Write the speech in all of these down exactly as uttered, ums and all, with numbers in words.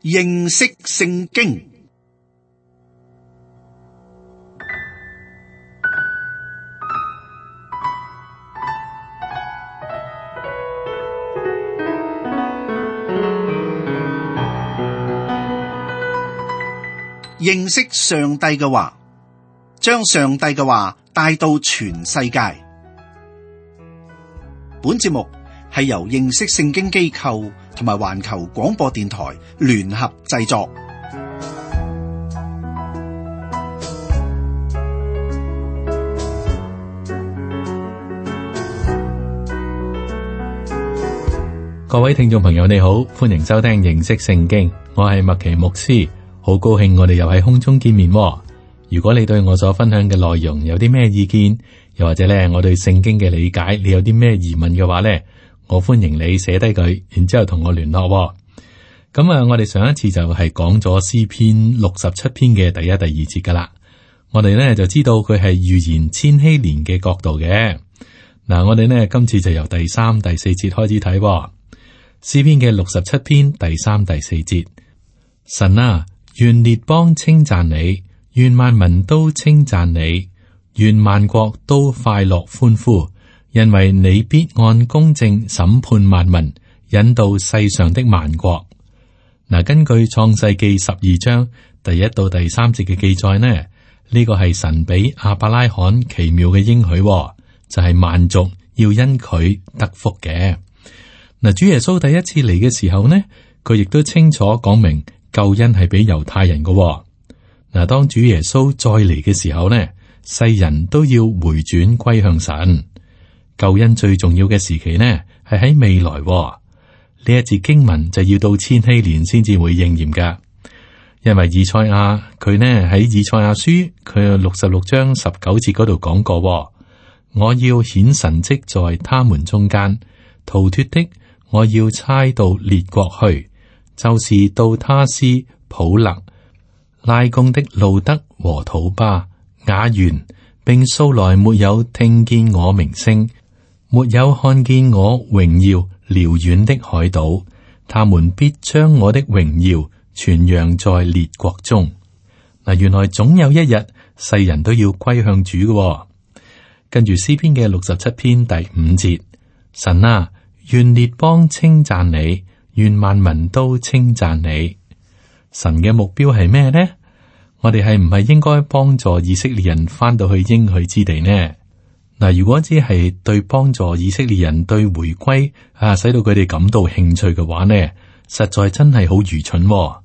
認識聖經。認識上帝嘅話，將上帝嘅話帶到全世界。本節目係由認識聖經機構同埋環球廣播電台聯合製作。各位聽眾朋友，你好，歡迎收聽認識聖經，我係麥奇牧師。好高興我哋又喺空中見面喎。如果你對我所分享嘅內容有啲咩意見，又或者咧我對聖經嘅理解，你有啲咩疑問嘅話咧，我歡迎你寫低佢，然之後同我聯絡喎。咁啊，我哋上一次就係講咗詩篇六十七篇嘅第一、第二節噶啦。我哋咧就知道佢係預言千禧年嘅角度嘅。嗱，我哋呢今次就由第三、第四節開始睇喎。詩篇嘅六十七篇第三、第四節，神啊，願列邦稱讚你，願萬民都稱讚你，願萬國都快樂歡呼，因為你必按公正審判萬民，引導世上的萬國。嗱，根據創世記十二章第一到第三節嘅記載呢，呢、這個係神俾亞伯拉罕奇妙嘅應許，就係、是、萬族要因佢得福嘅。嗱，主耶穌第一次嚟嘅時候呢，佢亦都清楚講明救恩係俾猶太人嘅。嗱，當主耶穌再嚟嘅時候呢，世人都要回轉歸向神。救恩最重要嘅時期呢，係喺未來。呢一節經文就要到千禧年先至會應驗噶，因為以賽亞佢呢喺以賽亞書佢六十六章十九節嗰度講過，我要顯神蹟在他們中間，逃脫的我要差到列國去，就是到他斯、普勒、拉貢的路德和土巴、雅原，並素來沒有聽見我名聲，沒有看見我榮耀遼遠的海島，他們必將我的榮耀傳揚在列國中。嗱，原來總有一日世人都要歸向主嘅。跟住詩篇嘅六十七篇第五節，神啊，願列邦稱讚你，願萬民都稱讚你。神嘅目標係咩呢？我哋係唔係應該幫助以色列人翻到去應許之地呢？嗱，如果只係對幫助以色列人對回歸啊，使到佢哋感到興趣嘅話呢，實在真係好愚蠢喎。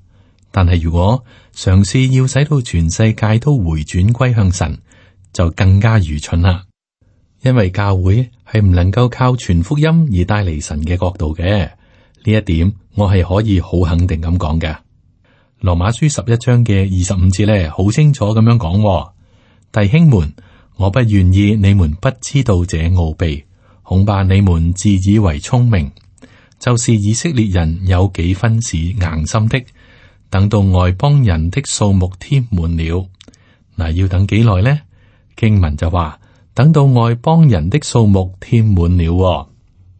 但係如果嘗試要使到全世界都回轉歸向神，就更加愚蠢啦。因為教會係唔能夠靠傳福音而帶嚟神嘅國度嘅，呢一點我係可以好肯定咁講嘅。羅馬書十一章嘅二十五節咧，好清楚咁樣講，弟兄們，我不願意你們不知道這奧秘，恐怕你們自以為聰明，就是以色列人有幾分是硬心的，等到外邦人的數目添滿了。嗱，要等幾耐呢？經文就話，等到外邦人的數目添滿了。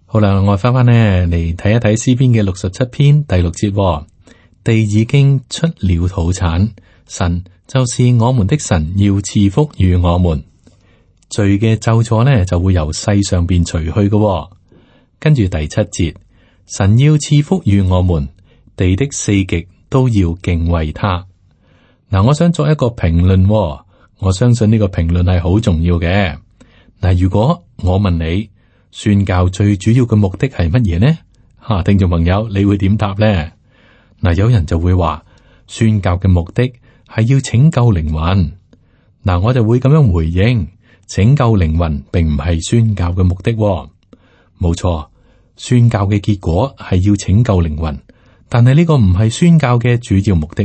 好啦，我翻翻呢嚟睇一睇詩篇嘅六十七篇第六節，地已經出了土產，神就是我們的神，要賜福與我們。罪嘅咒詛呢就會由世上邊除去嘅。跟住第七節，神要賜福與我們，地的四極都要敬畏他。嗱，我想作一個評論，我相信呢個評論係好重要嘅。嗱，如果我問你，宣教最主要嘅目的係乜嘢呢？吓、啊，聽眾朋友，你會點答呢？嗱，有人就會話宣教嘅目的係要拯救靈魂。嗱，我就會咁樣回應：拯救靈魂並唔係宣教嘅目的。冇錯，宣教嘅結果係要拯救靈魂，但係呢個唔係宣教嘅主要目的。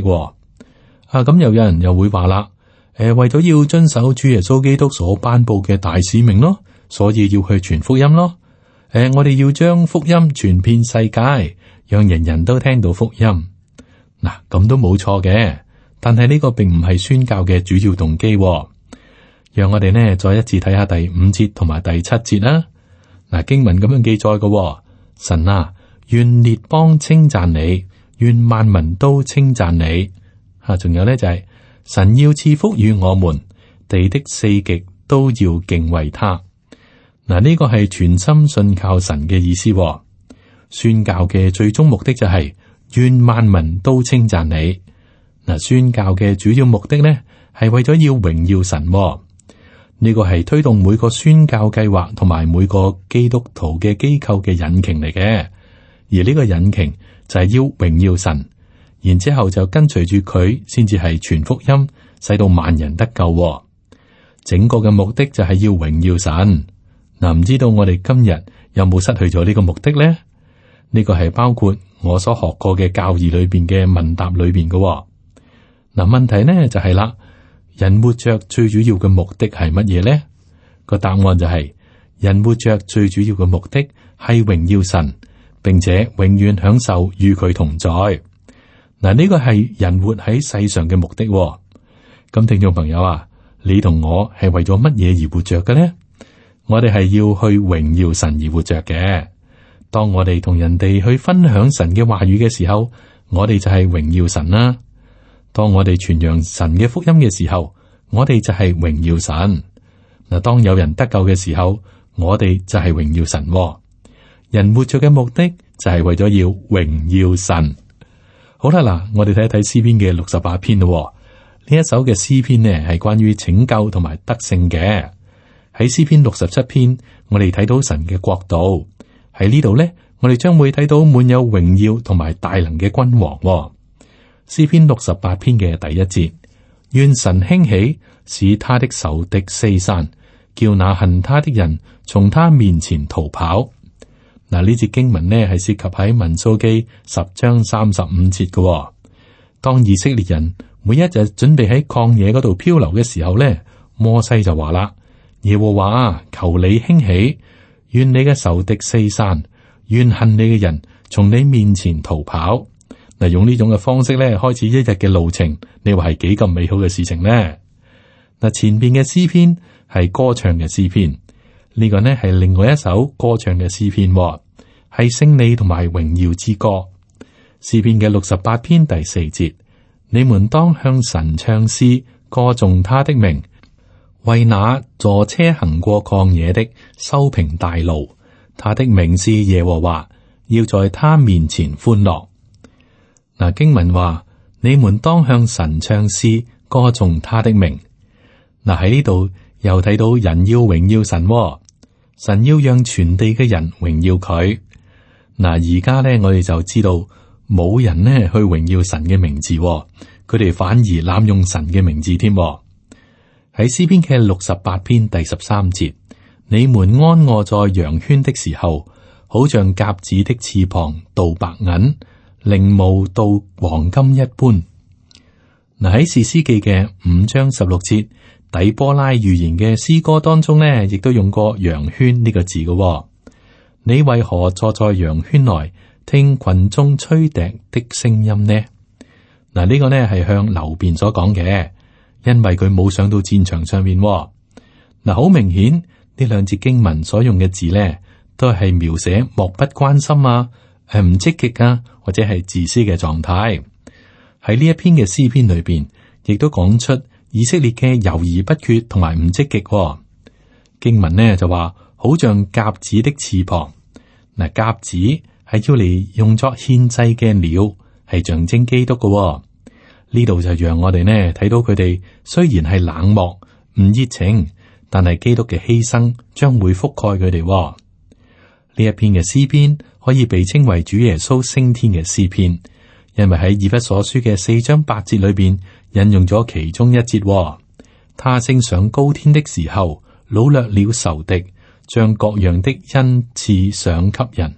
啊，咁又有人又會話啦，誒、呃，為咗要遵守主耶穌基督所頒布嘅大使命咯，所以要去傳福音咯。誒、呃，我哋要將福音傳遍世界，讓人人都聽到福音。嗱，咁都冇錯嘅，但係呢個並唔係宣教嘅主要動機。讓我哋呢再一次睇下第五節同埋第七節啦。嗱，經文咁樣記載嘅，神啊，願列邦稱讚你，願萬民都稱讚你。吓、啊，仲有咧就係、是、神要賜福與我們，地的四極都要敬畏他。嗱、啊，呢、這個係全心信靠神嘅意思、哦。宣教嘅最終目的就係、是、願萬民都稱讚你。嗱、啊，宣教嘅主要目的呢，係為咗要榮耀神、哦。呢個係推動每個宣教計劃同埋每個基督徒嘅機構嘅引擎嚟嘅，而呢個引擎就係要榮耀神，然之後就跟隨住佢，先至係傳福音，使到萬人得救、哦。整個嘅目的就係要榮耀神。嗱，唔知道我哋今日有冇失去咗呢個目的咧？呢個係包括我所學過嘅教義裏邊嘅問答裏邊嘅。嗱，問題呢就係啦。人活着最主要嘅目的係乜嘢呢？個答案就係、是、人活着最主要嘅目的係榮耀神，並且永遠享受與佢同在。嗱，呢個係人活喺世上嘅目的。咁聽眾朋友啊，你同我係為咗乜嘢而活着嘅呢？我哋係要去榮耀神而活着嘅。當我哋同人哋去分享神嘅話語嘅時候，我哋就係榮耀神啦。當我哋傳揚神嘅福音嘅時候，我哋就係榮耀神。嗱，當有人得救嘅時候，我哋就係榮耀神。人活着嘅目的就係為咗要榮耀神。好啦，嗱，我哋睇一睇詩篇嘅六十八篇咯。呢一首嘅詩篇呢係關於拯救同埋得勝嘅。喺詩篇六十七篇，我哋睇到神嘅國度。喺呢度呢，我哋將會睇到滿有榮耀同埋大能嘅君王。詩篇六十八篇嘅第一節，願神興起，使他的仇敵四散，叫那恨他的人從他面前逃跑。嗱，呢節經文呢係涉及喺民數記十章三十五節嘅。當以色列人每一日準備喺曠野嗰度漂流嘅時候呢，摩西就話啦：耶和華，求你興起，願你嘅仇敵四散，願恨你嘅人從你面前逃跑。嗱，用呢種嘅方式咧，開始一日嘅路程，你話係幾咁美好嘅事情呢？嗱，前邊嘅詩篇係歌唱嘅詩篇，呢個呢係另外一首歌唱嘅詩篇，係勝利同埋榮耀之歌。詩篇嘅六十八篇第四節，你們當向神唱詩，歌頌他的名，為那坐車行過曠野的修平大路，他的名是耶和華，要在他面前歡樂。嗱，經文話，你們當向神唱詩，歌頌他的名。嗱，喺呢度又睇到人要榮耀神，神要讓全地嘅人榮耀佢。嗱，而家咧我哋就知道冇人呢去榮耀神嘅名字，佢哋反而濫用神嘅名字添。喺詩篇嘅六十八篇第十三節，你們安臥在羊圈的時候，好像鴿子的翅膀鍍白銀，翎毛鍍黃金一般。嗱，喺士師記嘅五章十六節，底波拉預言嘅詩歌當中呢，亦都用過羊圈呢個字嘅。你為何坐在羊圈內，聽群眾吹笛的聲音呢？嗱，呢個呢係向流便所講嘅，因為佢冇上到戰場上面。嗱，好明顯呢兩節經文所用嘅字呢，都係描寫漠不關心啊，係唔積極啊，或者係自私嘅狀態。喺呢一篇嘅詩篇裏邊，亦都講出以色列嘅猶豫不決同埋唔積極。經文呢就話，好像鴿子的翅膀。嗱，鴿子係要嚟用作獻祭嘅鳥，係象徵基督嘅。呢度就讓我哋呢睇到佢哋雖然係冷漠唔熱情，但係基督嘅犧牲將會覆蓋佢哋。呢一篇嘅詩篇可以被稱為主耶穌升天嘅詩篇，因為喺以弗所書嘅四章八節裏邊引用咗其中一節。他升上高天的時候，擄掠了仇敵，將各樣的恩賜賞給人。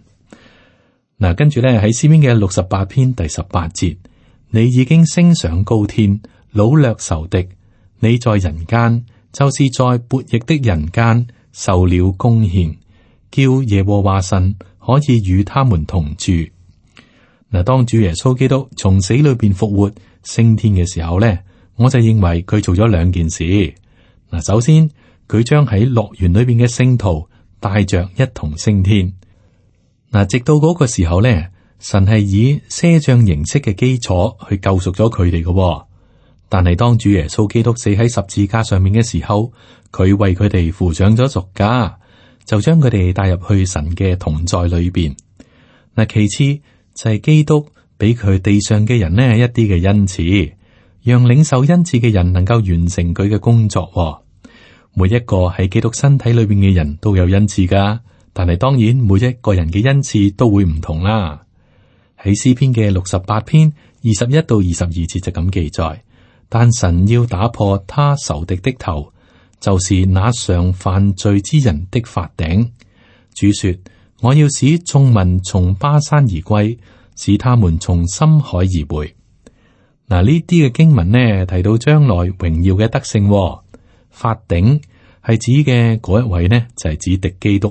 嗱，跟住咧喺詩篇嘅六十八篇第十八節，你已經升上高天，擄掠仇敵，你在人間，就是在悖逆的人間受了供獻，叫耶和華神可以與他們同住。嗱，當主耶穌基督從死裏邊復活升天嘅時候咧，我就認為佢做咗兩件事。嗱，首先佢將喺樂園裏邊嘅聖徒帶着一同升天。嗱，直到嗰個時候咧，神係以賒賬形式嘅基礎去救贖咗佢哋嘅。但係當主耶穌基督死喺十字架上面嘅時候，佢為佢哋付上咗贖價，就將佢哋帶入去神嘅同在裏邊。嗱，其次就係基督俾佢地上嘅人呢一啲嘅恩賜，讓領受恩賜嘅人能夠完成佢嘅工作。每一個喺基督身體裏邊嘅人都有恩賜噶，但係當然每一個人嘅恩賜都會唔同啦。喺詩篇嘅六十八篇二十一到二十二節就咁記載，但神要打破他仇敵的頭，就是那常犯罪之人的法頂。主說：我要使眾民從巴山而歸，使他們從深海而回。嗱，呢啲嘅經文呢提到將來榮耀嘅德性。法頂係指嘅嗰一位呢，就係指敵基督。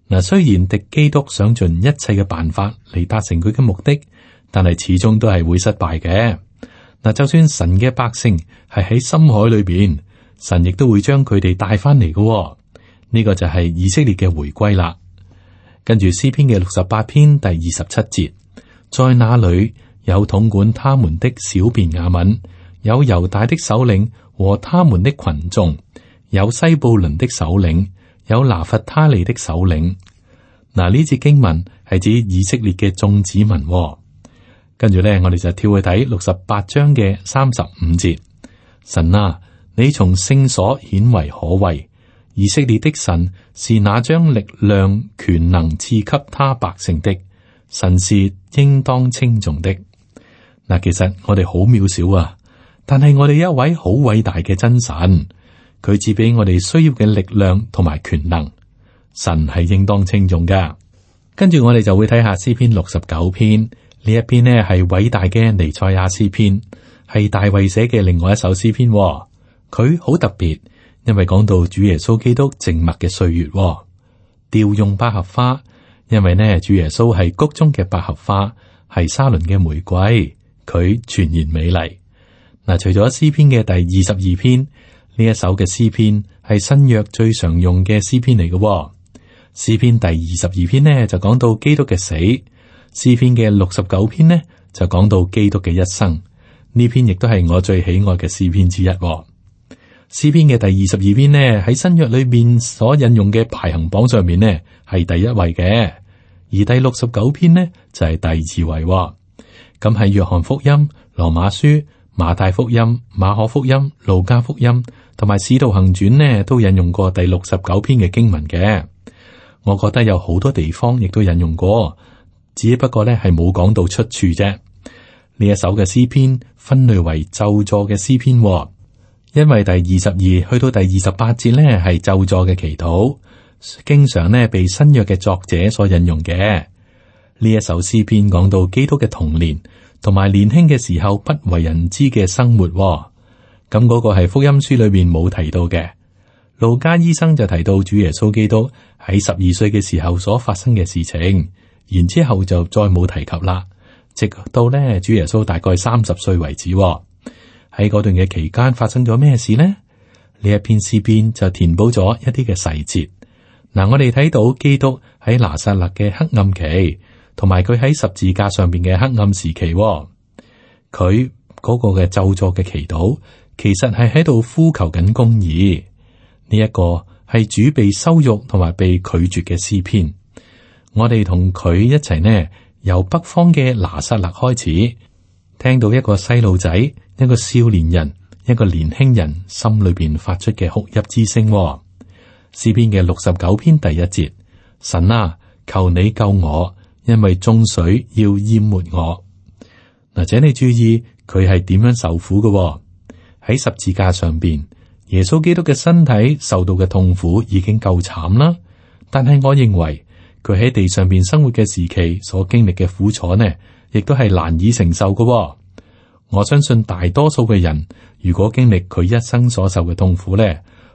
嗱，雖然敵基督想盡一切嘅辦法嚟達成佢嘅目的，但係始終都係會失敗嘅。嗱，就算神嘅百姓係喺深海裏邊，神亦都會將佢哋帶翻嚟嘅。呢個就係以色列嘅回歸啦。跟住詩篇嘅六十八篇第二十七節，在那裏有統管他們的小便雅憫，有猶大的首領和他們的群眾，有西布倫的首領，有拿弗他利的首領。嗱，呢節經文係指以色列嘅眾子民。跟住咧，我哋就跳去睇六十八章嘅三十五節。神啊，你從聖所顯為可畏，以色列的神是那將力量權能賜給他百姓的，神是應當稱頌的。嗱，其實我哋好渺小啊，但係我哋一位好偉大嘅真神，佢賜俾我哋需要嘅力量同埋權能，神係應當稱頌噶。跟住我哋就會睇下詩篇六十九篇。呢一篇呢係偉大嘅彌賽亞詩篇，係大衛寫嘅另外一首詩篇。佢好特別，因為講到主耶穌基督靜默嘅歲月，調用百合花，因為呢主耶穌係谷中嘅百合花，係沙崙嘅玫瑰，佢全然美麗。嗱，除咗詩篇嘅第二十二篇，呢一首嘅詩篇係新約最常用嘅詩篇嚟嘅。詩篇第二十二篇呢就講到基督嘅死。詩篇嘅六十九篇呢，就講到基督嘅一生，呢篇亦都係我最喜愛嘅詩篇之一。詩篇嘅第二十二篇呢，喺新約裏面所引用嘅排行榜上面呢，係第一位嘅，而第六十九篇呢，就係、是、第二位。咁喺約翰福音、羅馬書、馬太福音、馬可福音、路加福音同埋使徒行傳呢，都引用過第六十九篇嘅經文嘅。我覺得有好多地方亦都引用過。只不過咧係冇講到出處啫。呢一首嘅詩篇分類為咒詛嘅詩篇，因為第二十二去到第二十八節咧係咒詛嘅祈禱，經常咧被新約嘅作者所引用嘅。呢一首詩篇講到基督嘅童年同埋年輕嘅時候不為人知嘅生活，咁嗰個係福音書裏面冇提到嘅。路加醫生就提到主耶穌基督喺十二歲嘅時候所發生嘅事情。然之後就再冇提及啦，直到咧主耶穌大概三十歲為止。喺嗰段嘅期間發生咗咩事呢？呢一篇詩篇就填補咗一啲嘅細節。嗱，我哋睇到基督喺拿撒勒嘅黑暗期，同埋佢喺十字架上邊嘅黑暗時期。佢嗰個嘅咒詛嘅祈禱，其實係喺度呼求緊公義。呢一個係主被羞辱同埋被拒絕嘅詩篇。我哋同佢一齊呢，由北方嘅拿撒勒開始，聽到一個細路仔、一個少年人、一個年輕人心裏邊發出嘅哭泣之聲。詩篇嘅六十九篇第一節：神啊，求你救我，因為眾水要淹沒我。嗱，請你注意佢係點樣受苦嘅。喺十字架上邊，耶穌基督嘅身體受到嘅痛苦已經夠慘啦，但係我認為。佢喺地上邊生活嘅時期所經歷嘅苦楚呢，亦都係難以承受嘅。我相信大多數嘅人，如果經歷佢一生所受嘅痛苦呢，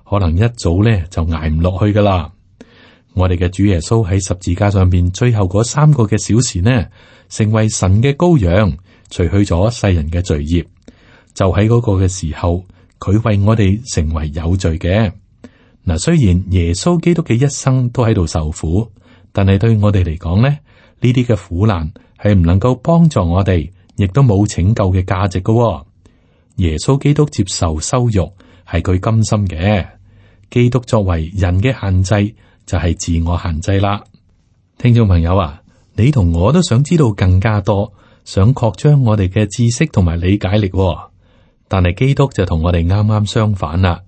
可能一早呢就挨唔落去噶啦。我哋嘅主耶穌喺十字架上邊最後嗰三個嘅小時呢，成為神嘅羔羊，除去咗世人嘅罪孽。就喺嗰個嘅時候，佢為我哋成為有罪嘅。嗱，雖然耶穌基督嘅一生都喺度受苦。但係對我哋嚟講咧，呢啲嘅苦難係唔能夠幫助我哋，亦都冇拯救嘅價值嘅。耶穌基督接受羞辱係佢甘心嘅。基督作為人嘅限制就係自我限制啦。聽眾朋友啊，你同我都想知道更加多，想擴張我哋嘅知識同埋理解力，但係基督就同我哋啱啱相反啦。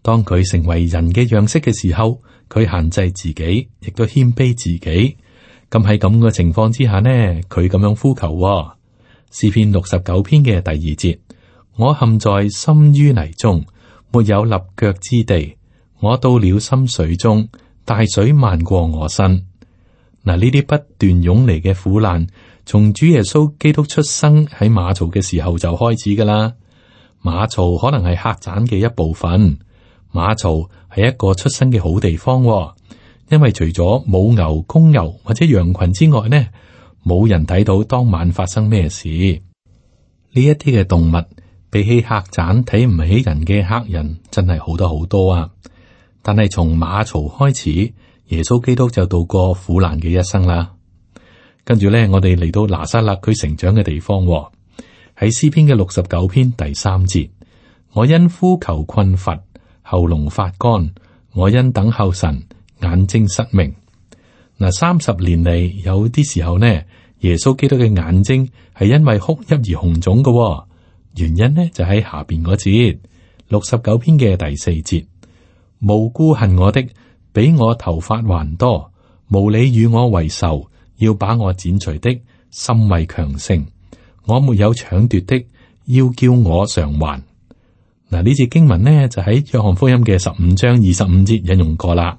當佢成為人嘅樣式嘅時候，佢限制自己，亦都謙卑自己。咁喺咁嘅情況之下呢，佢咁樣呼求，詩篇六十九篇嘅第二節：我陷在深淤泥中，沒有立腳之地。我到了深水中，大水漫過我身。嗱，呢啲不斷湧嚟嘅苦難，從主耶穌基督出生喺馬槽嘅時候就開始噶啦。馬槽可能係客棧嘅一部分。馬槽係一個出生嘅好地方，因為除咗母牛、公牛或者羊群之外呢，冇人睇到當晚發生咩事。呢一啲嘅動物比起客棧睇唔起人嘅客人，真係好多好多啊！但係從馬槽開始，耶穌基督就度過苦難嘅一生啦。跟住咧，我哋嚟到拿撒勒佢成長嘅地方，喺詩篇嘅六十九篇第三節：我因呼求困乏，喉嚨發乾；我因等候神，眼睛失明。嗱，三十年嚟有啲時候呢，耶穌基督嘅眼睛係因為哭泣而紅腫嘅。原因呢就喺下邊嗰節，六十九篇嘅第四節。無故恨我的，比我頭髮還多；無理與我為仇，要把我剪除的，心為強盛。我沒有搶奪的，要叫我償還。嗱，呢節經文呢就喺約翰福音嘅十五章二十五節引用過啦。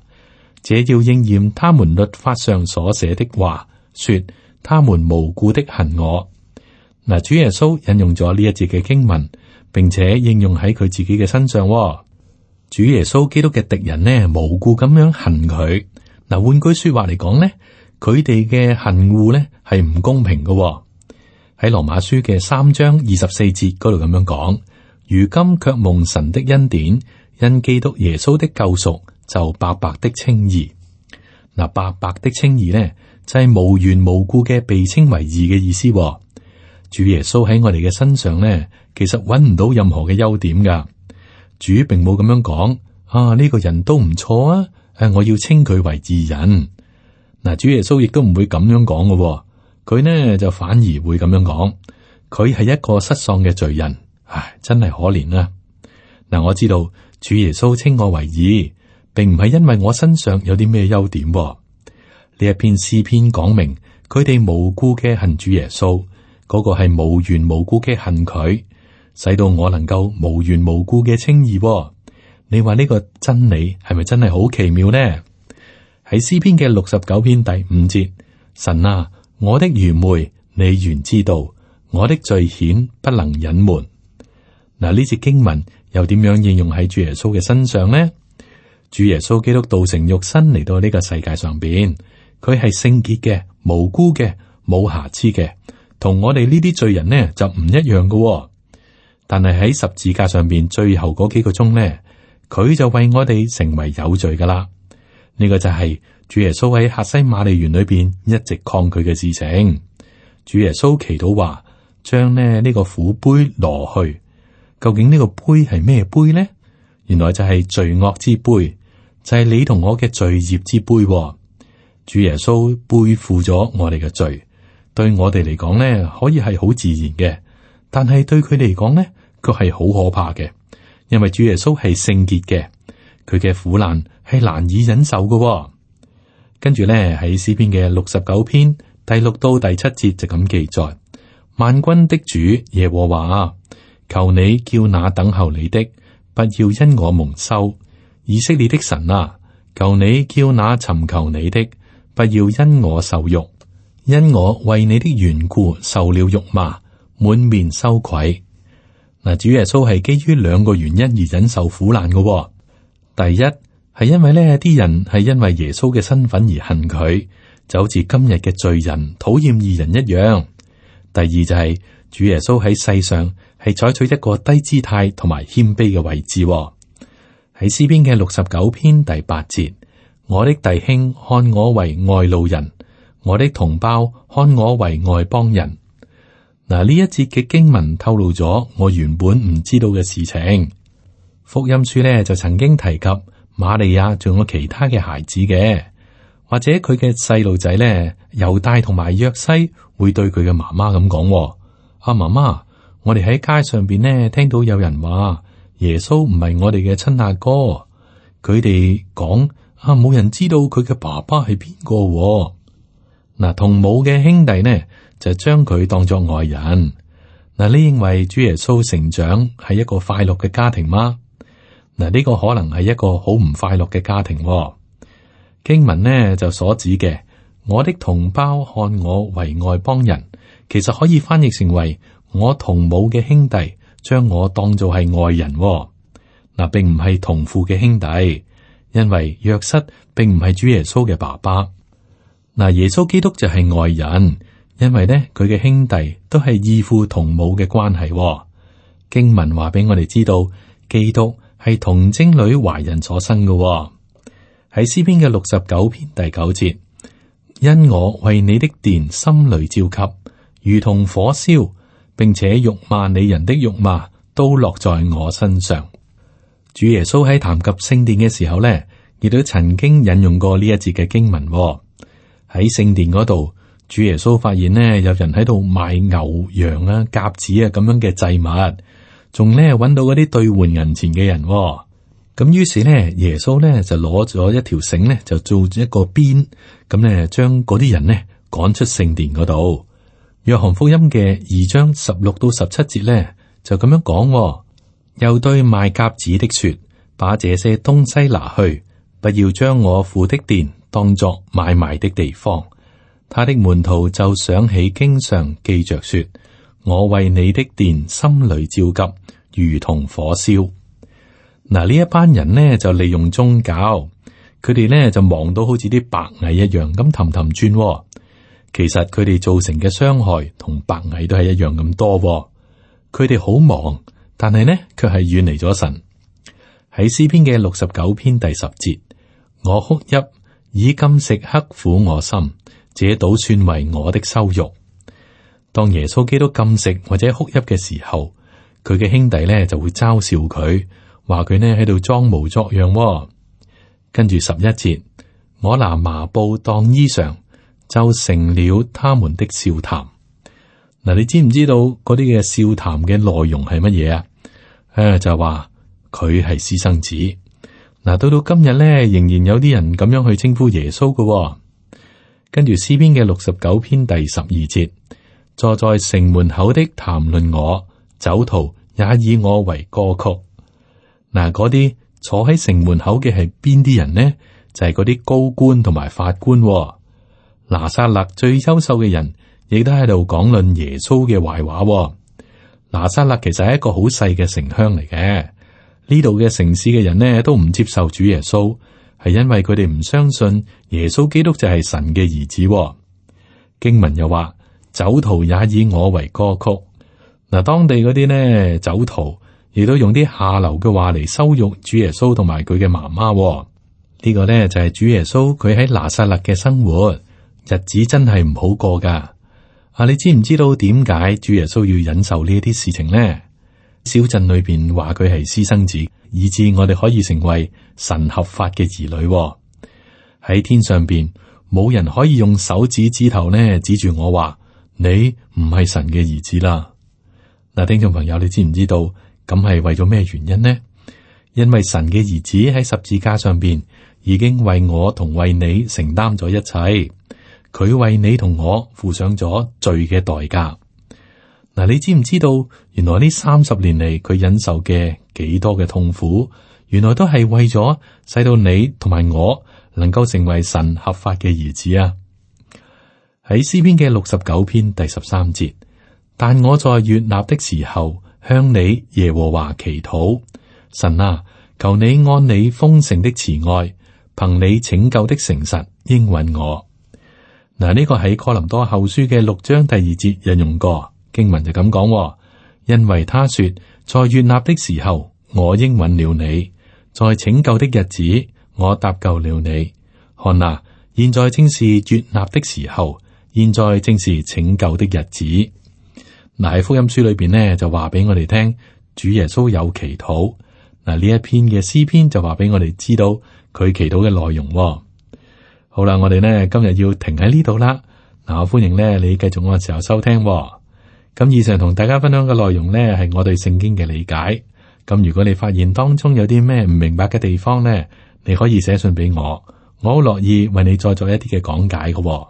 這要應驗他們律法上所寫的話，說他們無故的恨我。嗱，主耶穌引用咗呢一節嘅經文，並且應用喺佢自己嘅身上。主耶穌基督嘅敵人呢，無故咁樣恨佢。嗱，換句說話嚟講呢，佢哋嘅恨惡呢係唔公平嘅。喺羅馬書嘅三章二十四節嗰度咁樣講，如今卻蒙神的恩典，因基督耶穌的救贖，就白白的稱義。嗱，白白的稱義呢，就係、是、無緣無故嘅被稱為義嘅意思。主耶穌喺我哋嘅身上呢，其實揾唔到任何嘅優點噶。主並冇咁樣講啊，呢、這個人都唔錯啊，誒，我要稱佢為義人。嗱，主耶穌亦都唔會咁樣講嘅，佢呢就反而會咁樣講，佢係一個失喪嘅罪人，唉，真係可憐啊。嗱，我知道主耶穌稱我為義，並唔係因為我身上有啲咩優點。呢一篇詩篇講明，佢哋無故嘅恨主耶穌，嗰、那個係無緣無故嘅恨佢。使到我能夠無緣無故嘅稱義，你話呢個真理係咪真係好奇妙呢？喺詩篇嘅六十九篇第五節，神啊，我的愚昧你原知道，我的罪愆不能隱瞞。嗱，呢節經文又點樣應用喺主耶穌嘅身上呢？主耶穌基督道成肉身嚟到呢個世界上邊，佢係聖潔嘅、無辜嘅、冇瑕疵嘅，同我哋呢啲罪人呢就唔一樣嘅。但係喺十字架上邊最後嗰幾個鐘呢，佢就為我哋成為有罪噶啦。呢個就係主耶穌喺客西馬尼園裏邊一直抗拒嘅事情。主耶穌祈禱話，將呢呢個苦杯挪去。究竟呢個杯係咩杯呢？原來就係罪惡之杯，就係你同我嘅罪孽之杯。主耶穌背負咗我哋嘅罪，對我哋嚟講呢，可以係好自然嘅。但係對佢嚟講呢，卻係好可怕嘅，因為主耶穌係聖潔嘅，佢嘅苦難係難以忍受嘅。跟住咧喺詩篇嘅六十九篇第六到第七節就咁記載：萬軍的主耶和華啊，求你叫那等候你的，不要因我蒙羞；以色列的神啊，求你叫那尋求你的，不要因我受辱，因我為你的緣故受了辱罵，滿面羞愧。嗱，主耶穌係基於兩個原因而忍受苦難嘅、哦。第一係因為呢啲人係因為耶穌嘅身份而恨佢，就好似今日嘅罪人討厭義人一樣。第二就係、是、主耶穌喺世上係採取一個低姿態同埋謙卑嘅位置、哦。喺詩篇嘅六十九篇第八節，我的弟兄看我為外路人，我的同胞看我為外邦人。嗱，呢一節嘅經文透露咗我原本唔知道嘅事情。福音書咧就曾經提及瑪利亞仲有其他嘅孩子嘅，或者佢嘅細路仔咧，猶大同埋約西會對佢嘅媽媽咁講：阿媽媽，我哋喺街上邊呢聽到有人話耶穌唔係我哋嘅親阿哥，佢哋講啊，冇人知道佢嘅爸爸係邊個。嗱，同母嘅兄弟呢就將佢當作外人。嗱，你認為主耶穌成長係一個快樂嘅家庭嗎？嗱，呢個可能係一個好唔快樂嘅家庭。經文呢就所指嘅，我的同胞看我為外邦人，其實可以翻譯成為我同母嘅兄弟將我當做係外人。嗱，並唔係同父嘅兄弟，因為約瑟並唔係主耶穌嘅爸爸。嗱，耶穌基督就係外人，因為呢佢嘅兄弟都係異父同母嘅關係。經文話俾我哋知道，基督係童貞女懷孕所生嘅。喺詩篇嘅六十九篇第九節，因我為你的殿心裏焦急，如同火燒，並且辱罵你人的辱罵都落在我身上。主耶穌喺談及聖殿嘅時候呢，亦都曾經引用過呢一節嘅經文。喺聖殿嗰度，主耶穌發現呢，有人喺度賣牛羊啊、鴿子啊咁樣嘅祭物，仲呢揾到嗰啲兌換銀錢嘅人。咁於是呢，耶穌呢就攞咗一條繩呢，就做一個鞭，咁呢將嗰啲人呢趕出聖殿嗰度。約翰福音嘅二章十六到十七節呢，就咁樣講，又對賣鴿子的說：把這些東西拿去，不要將我父的殿當作買賣的地方。他的門徒就想起經上記着說：我為你的殿心裏焦急，如同火燒。嗱，呢一班人呢就利用宗教，佢哋呢就忙到好似啲白蟻一樣咁氹氹轉。其實佢哋造成嘅傷害同白蟻都係一樣咁多。佢哋好忙，但係呢卻係遠離咗神。喺詩篇嘅六十九篇第十節，我哭泣，以禁食刻苦我心，這倒算為我的羞辱。當耶穌基督禁食或者哭泣嘅時候，佢嘅兄弟呢就會嘲笑佢，話佢呢喺度裝模作樣。跟住十一節，我拿麻布當衣裳，就成了他們的笑談。嗱，你知唔知道嗰啲嘅笑談嘅內容係乜嘢啊？誒，就話佢係私生子。嗱，到到今日咧，仍然有啲人咁樣去稱呼耶穌嘅。跟住詩篇嘅六十九篇第十二節，坐在城門口的談論我，酒徒也以我為歌曲。嗱，嗰啲坐喺城門口嘅係邊啲人呢？就係嗰啲高官同埋法官。拿撒勒最優秀嘅人，亦都喺度講論耶穌嘅壞話。拿撒勒其實係一個好細嘅城鄉嚟嘅，呢度嘅城市嘅人呢都唔接受主耶穌，係因為佢哋唔相信耶穌基督就係神嘅兒子。經文又話，酒徒也以我為歌曲。嗱，當地嗰啲呢酒徒亦都用啲下流嘅話嚟羞辱主耶穌同埋佢嘅媽媽。呢個呢就係主耶穌佢喺拿撒勒嘅生活，日子真係唔好過噶。啊，你知唔知道點解主耶穌要忍受呢啲事情呢？小鎮裏邊話佢係私生子，以致我哋可以成為神合法嘅兒女。喺天上邊，冇人可以用手指指頭呢指住我話你唔係神嘅兒子啦。嗱，聽眾朋友，你知唔知道咁係為咗咩原因呢？因為神嘅兒子喺十字架上邊已經為我同為你承擔咗一切。佢為你同我付上咗罪嘅代價。嗱，你知唔知道原來呢三十年嚟佢忍受嘅幾多嘅痛苦，原來都係為咗使到你同埋我能夠成為神合法嘅兒子啊！喺詩篇嘅六十九篇第十三節，但我在悅納的時候向你耶和華祈禱，神啊，求你按你豐盛的慈愛，憑你拯救的誠實應允我。嗱，呢個喺哥林多後書嘅六章第二節引用過經文就咁講，因為他說，在悅納的時候我應允了你，在拯救的日子我搭救了你。看啊，現在正是悅納的時候，現在正是拯救的日子。嗱，喺福音書裏邊呢，就話俾我哋聽，主耶穌有祈禱。嗱，呢一篇嘅詩篇就話俾我哋知道佢祈禱嘅內容。好啦，我哋呢今日要停喺呢度啦。嗱，我歡迎呢你繼續我嘅時候收聽。咁以上同大家分享嘅內容呢，係我對聖經嘅理解。咁如果你發現當中有啲咩唔明白嘅地方呢，你可以寫信俾我，我好樂意為你再做一啲嘅講解嘅。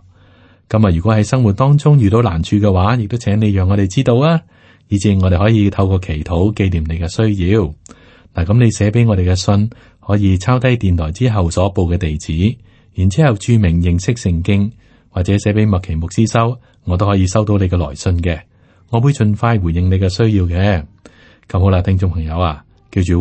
咁啊，如果喺生活當中遇到難處嘅話，亦都請你讓我哋知道啊，以至我哋可以透過祈禱紀念你嘅需要。嗱，咁你寫俾我哋嘅信，可以抄低電台之後所報嘅地址，然之後注明認識聖經，或者寫俾麥奇牧師收，我都可以收到你嘅來信嘅。我會盡快回應你嘅需要嘅。咁好啦，聽眾朋友啊，記住，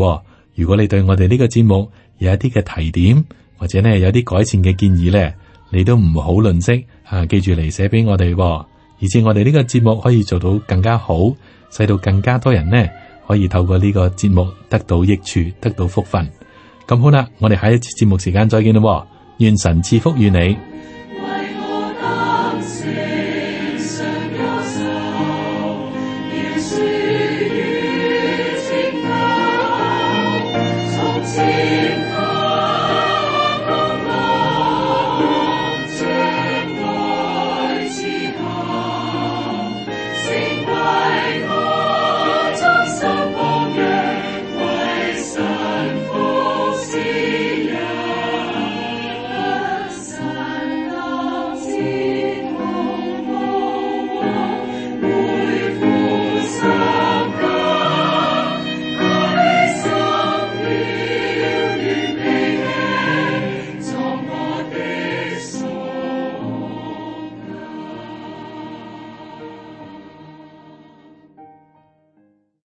如果你對我哋呢個節目有一啲嘅提點，或者呢有啲改善嘅建議呢，你都唔好吝嗇啊，記住嚟寫俾我哋，以至我哋呢個節目可以做到更加好，使到更加多人呢可以透過呢個節目得到益處，得到福分。咁好啦，我哋下一次節目時間再見啦，願神賜福於你。